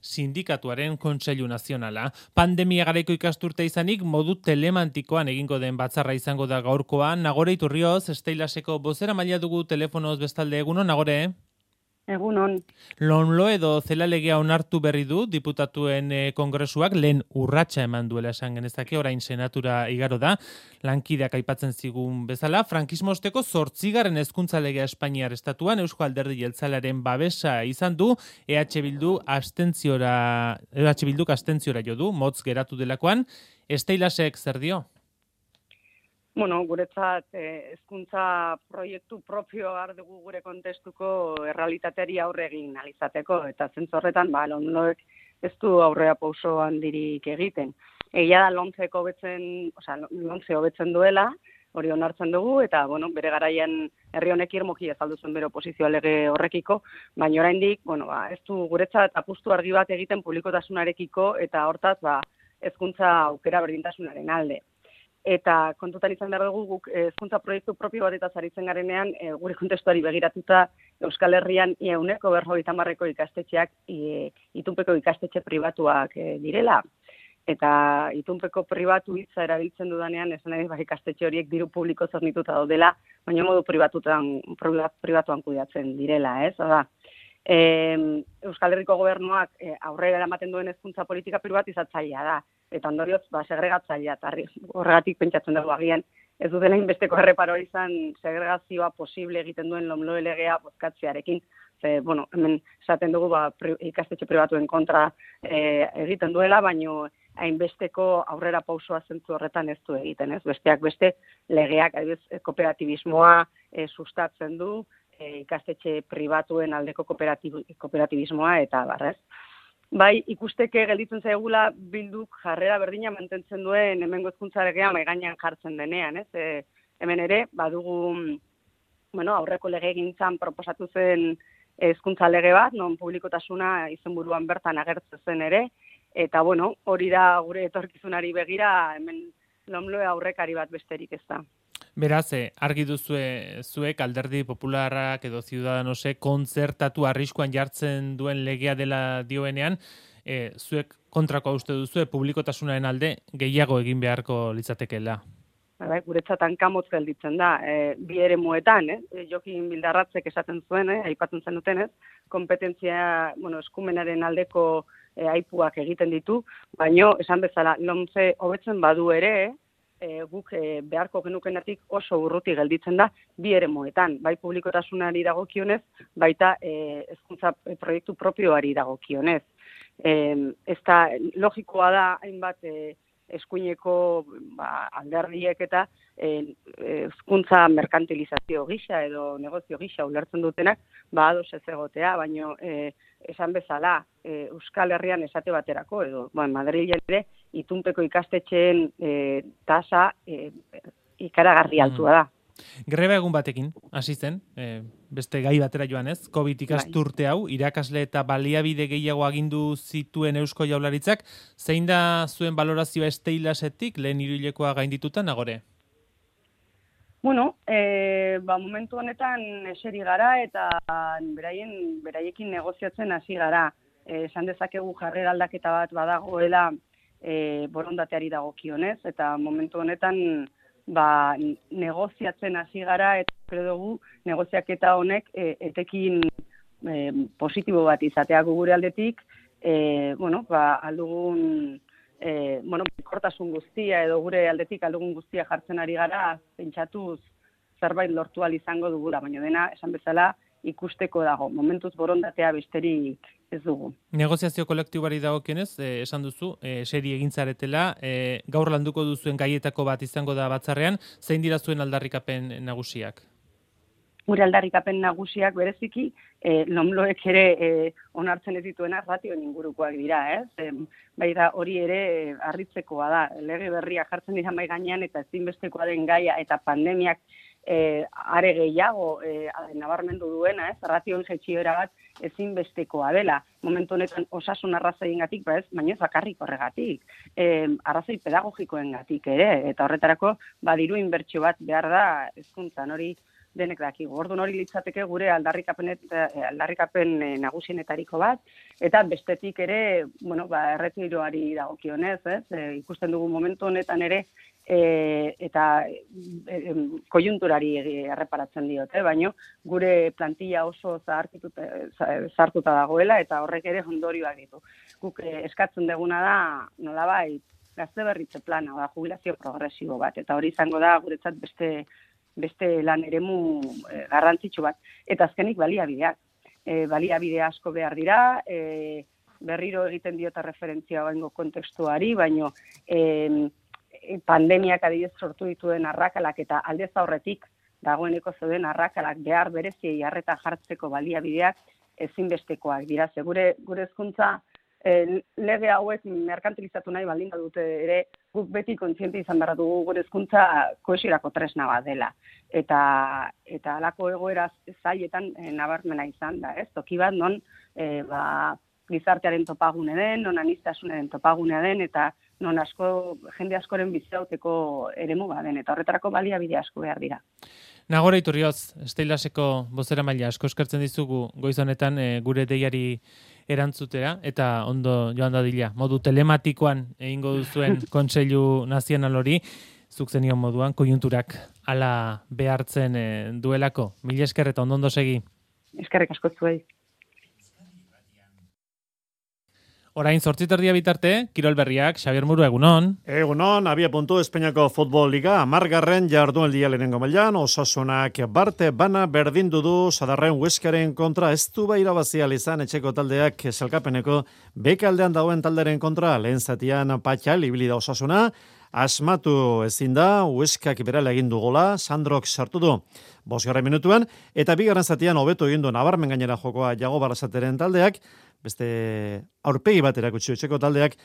Sindikatuaren Kontseilu Nazionala. Pandemia garaiko ikasturte izanik modu telemantikoan egingo den batzarra izango da gaurkoan. Nagore Iturrioz, Steilaseko bozeramailea dugu telefonoz bestalde. Egunon, Nagore? Egunon. Lonlo edo zelalegea onartu berri du diputatuen kongresuak lehen urratsa eman duela esan genezake, orain senatura igaro da. Lankideak aipatzen zigun bezala, frankismo osteko 8. hezkuntza legea Espainiar estatuan Eusko Alderdi Jeltzalearen babesa izan du, Bilduk abstentziora jo du, motz geratu delakoan. Steilasek zer dio? Bueno, guretzat hezkuntza proiektu propio har dugu gure kontestuko errealitateari aurre egin alizateko, eta zentzu horretan, Lonloek ez du aurrea pauso handirik egiten. Egia da Lomce hobetzen duela, hori onartzen dugu, eta bere garaian herri honek irmoki azaldu zen bere oposizioa lege horrekiko, baina oraindik, ez du guretzat apustu argi bat egiten publikotasunarekiko, eta hortaz, hezkuntza aukera berdintasunaren alde. Eta kontutan izan behar dugu guk hezkuntza proiektu propio bat eta zaritzen garenean gure kontestuari begiratuta Euskal Herrian 150 ikastetxeak itunpeko ikastetxe pribatuak direla. Eta itunpeko pribatu hitza erabiltzen dudanean esan nahi ikastetxe horiek diru publiko zornituta daudela, baina modu pribatuan kudeatzen direla, ez? Euskal Herriko gobernuak aurrera eramaten duen hezkuntza politika pribatizatzailea da. Eta ondorioz, segregatzailea, horregatik pentsatzen dugu agian, ez dutela inbesteko erreparo izan segregazioa posible egiten duen Lonlo legea bozkatzearekin. Hemen esaten dugu ikastetxe pribatuen kontra egiten duela, baino hainbesteko aurrera pausua zentzu horretan ez du egiten, ez? Besteak beste legeak, kooperatibismoa sustatzen du, ikastetxe pribatuen aldeko kooperatibismoa eta barrez. Bai, ikusteke gelditzen zaigula Bilduk jarrera berdina mantentzen duen hemengo hezkuntza legea mahai gainean jartzen denean, ez? Hemen ere, badugu, aurreko legegintzan proposatu zen hezkuntza lege bat, non publikotasuna izenburuan bertan agertzen zen ere, eta hori da gure etorkizunari begira, hemen Lonloe aurrekari bat besterik ez da. Beraz, argi duzue zuek Alderdi Popularrak edo Ciudadanosek kontzertatu arriskuan jartzen duen legea dela dioenean, zuek kontrakoa uste duzue publikotasunaren alde gehiago egin beharko litzatekeela. Guretzat hankamotz gelditzen da, bi eremuetan, Jokin Bildarratzek esaten zuen, aipatzen zenuten, kompetentzia, eskumenaren aldeko aipuak egiten ditu, baino esan bezala Lomce hobetzen badu ere, guk beharko genukenetik oso urruti gelditzen da bi eremuetan, bai publikotasunari dagokionez, baita hezkuntza proiektu propioari dagokionez. Ez da logikoa da hainbat eskuineko alderdiek eta hezkuntza merkantilizazio gisa edo negozio gisa ulertzen dutenak ados ez egotea, baino esan bezala Euskal Herrian esate baterako edo Madrilen ere itunpeko ikastetxeen tasa ikaragarri altua da. Greba egun batekin hasi zen, beste gai batera joan ez, COVID ikasturte hau, irakasle eta baliabide gehiago agindu zituen Eusko Jaurlaritzak, zein da zuen valorazioa Steilasetik lehen hiruhilekoa gaindituta, Nagore? Momentu honetan eseri gara eta beraiekin negoziatzen hasi gara. Esan dezakegu jarrera aldaketa bat badagoela borondateari dagokionez, eta momentu honetan negoziatzen hasi gara eta dugu negoziaketa honek etekin positibo bat izatea gure aldetik, aldugun kortasun guztia edo gure aldetik aldugun guztia jartzen ari gara, pentsatuz zerbait lortu ahal izango dugula, baina dena esan bezala ikusteko dago. Momentuz borondatea besterik ez dugu. Negoziazio kolektibari dagokionez, esan duzu, seri egin zaretela, gaur landuko duzuen gaietako bat izango da batzarrean, zein dira zuen aldarrikapen nagusiak? Gure aldarrikapen nagusiak bereziki, Lonloek ere onartzen ez dituena ratioen ingurukoak dira, ez? Baita hori ere harritzekoa da, lege berria jartzen dira mahai gainean eta ezinbestekoa den gaia eta pandemiak are gehiago nabarmendu duena, ez? Ratioen jaitsiera bat ezinbestekoa dela. Momentu honetan osasun arrazoiengatik, baina ez bakarrik horregatik. Arrazoi pedagogikoengatik ere, eta horretarako diru inbertsio bat behar da hezkuntzan, hori denek dakigu. Orduan hori litzateke gure aldarrikapen nagusienetariko bat, eta bestetik ere, erretiroari dagokionez, ikusten dugu momentu honetan ere, eta kojunturari erreparatzen diote, baina gure plantilla oso zartuta dagoela, eta horrek ere ondorioak ditu. Guk eskatzen duguna da, nolabait, gazte berritze plana, jubilazio progresibo bat, eta hori izango da guretzat beste lan eremu garrantzitsu bat. Eta azkenik baliabideak. Baliabide asko behar dira, berriro egiten diota referentzia oaingo kontekstuari, baino pandemiak adibidez sortu dituen arrakalak eta aldez aurretik dagoeneko zeuden arrakalak behar bereziei harreta jartzeko baliabideak ezinbestekoak dira. Gure hezkuntza lege hauek merkantilizatu nahi baldin badute ere, guk beti kontziente izan behar dugu gure hezkuntza kohesiorako tresna bat dela. Eta halako egoera zailetan nabarmena izan da, ez? Toki bat non gizartearen topagune den, non aniztasunaren topagunea den, eta non jende askoren biziauteko eremu den, eta horretarako baliabide asko behar dira. Nagore Iturrioz, Steilaseko bozeramailea asko eskertzen dizugu goiz honetan gure deiari erantzutera, eta ondo joan dadila, modu telematikoan egingo duzuen Kontseilu Nazional hori, zuk zenion moduan, kojunturak ala behartzen duelako. Mila esker eta ondo segi. Eskerrik asko zuei. Orain 8:30 bitarte, Kirol Berriak, Xabier Muru, egunon. Egunon, abia puntu Espainiako Futbol Liga, 10. jardunaldia lehenengo mailan, Osasunak barte bana berdindu du Sadarren Hueskaren kontra, ez du irabazi izan etxeko taldeak sailkapeneko bekaldean dagoen talderen kontra, lehen zatian patxal ibili da Osasuna, asmatu ezin da, Hueskak berala egin du gola, Sandrok sartu du 5. minutuan, eta 2. zatian hobeto egin du nabarmen gainera jokoa Jago Barrasateren taldeak, beste aurpegi bat erakutsi etxeko taldeak